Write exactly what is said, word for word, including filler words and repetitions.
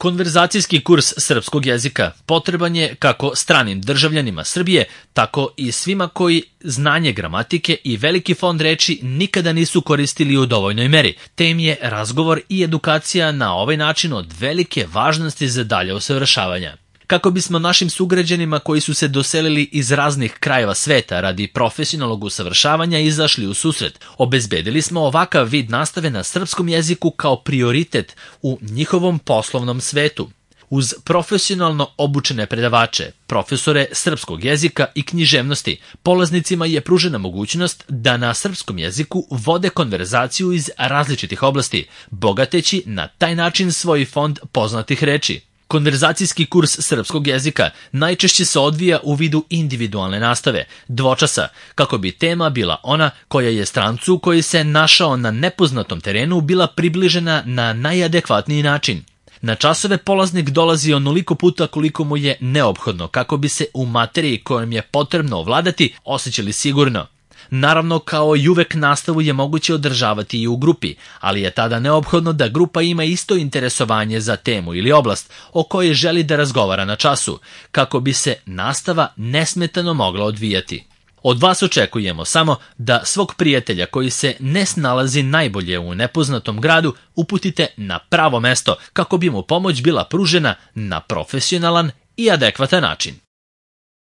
Konverzacijski kurs srpskog jezika potreban je kako stranim državljanima Srbije, tako i svima koji znanje gramatike i veliki fond reči nikada nisu koristili u dovoljnoj meri, te im je razgovor i edukacija na ovaj način od velike važnosti za dalje usavršavanja. Kako bismo našim sugrađanima koji su se doselili iz raznih krajeva sveta radi profesionalnog usavršavanja izašli u susret, obezbedili smo ovakav vid nastave na srpskom jeziku kao prioritet u njihovom poslovnom svetu. Uz profesionalno obučene predavače, profesore srpskog jezika i književnosti, polaznicima je pružena mogućnost da na srpskom jeziku vode konverzaciju iz različitih oblasti, bogateći na taj način svoj fond poznatih reči. Konverzacijski kurs srpskog jezika najčešće se odvija u vidu individualne nastave, dvočasa, kako bi tema bila ona koja je strancu koji se našao na nepoznatom terenu bila približena na najadekvatniji način. Na časove polaznik dolazi onoliko puta koliko mu je neophodno kako bi se u materiji kojom je potrebno ovladati osjećali sigurno. Naravno, kao i uvek, nastavu je moguće održavati i u grupi, ali je tada neophodno da grupa ima isto interesovanje za temu ili oblast o kojoj želi da razgovara na času, kako bi se nastava nesmetano mogla odvijati. Od vas očekujemo samo da svog prijatelja koji se ne snalazi najbolje u nepoznatom gradu uputite na pravo mesto kako bi mu pomoć bila pružena na profesionalan i adekvatan način.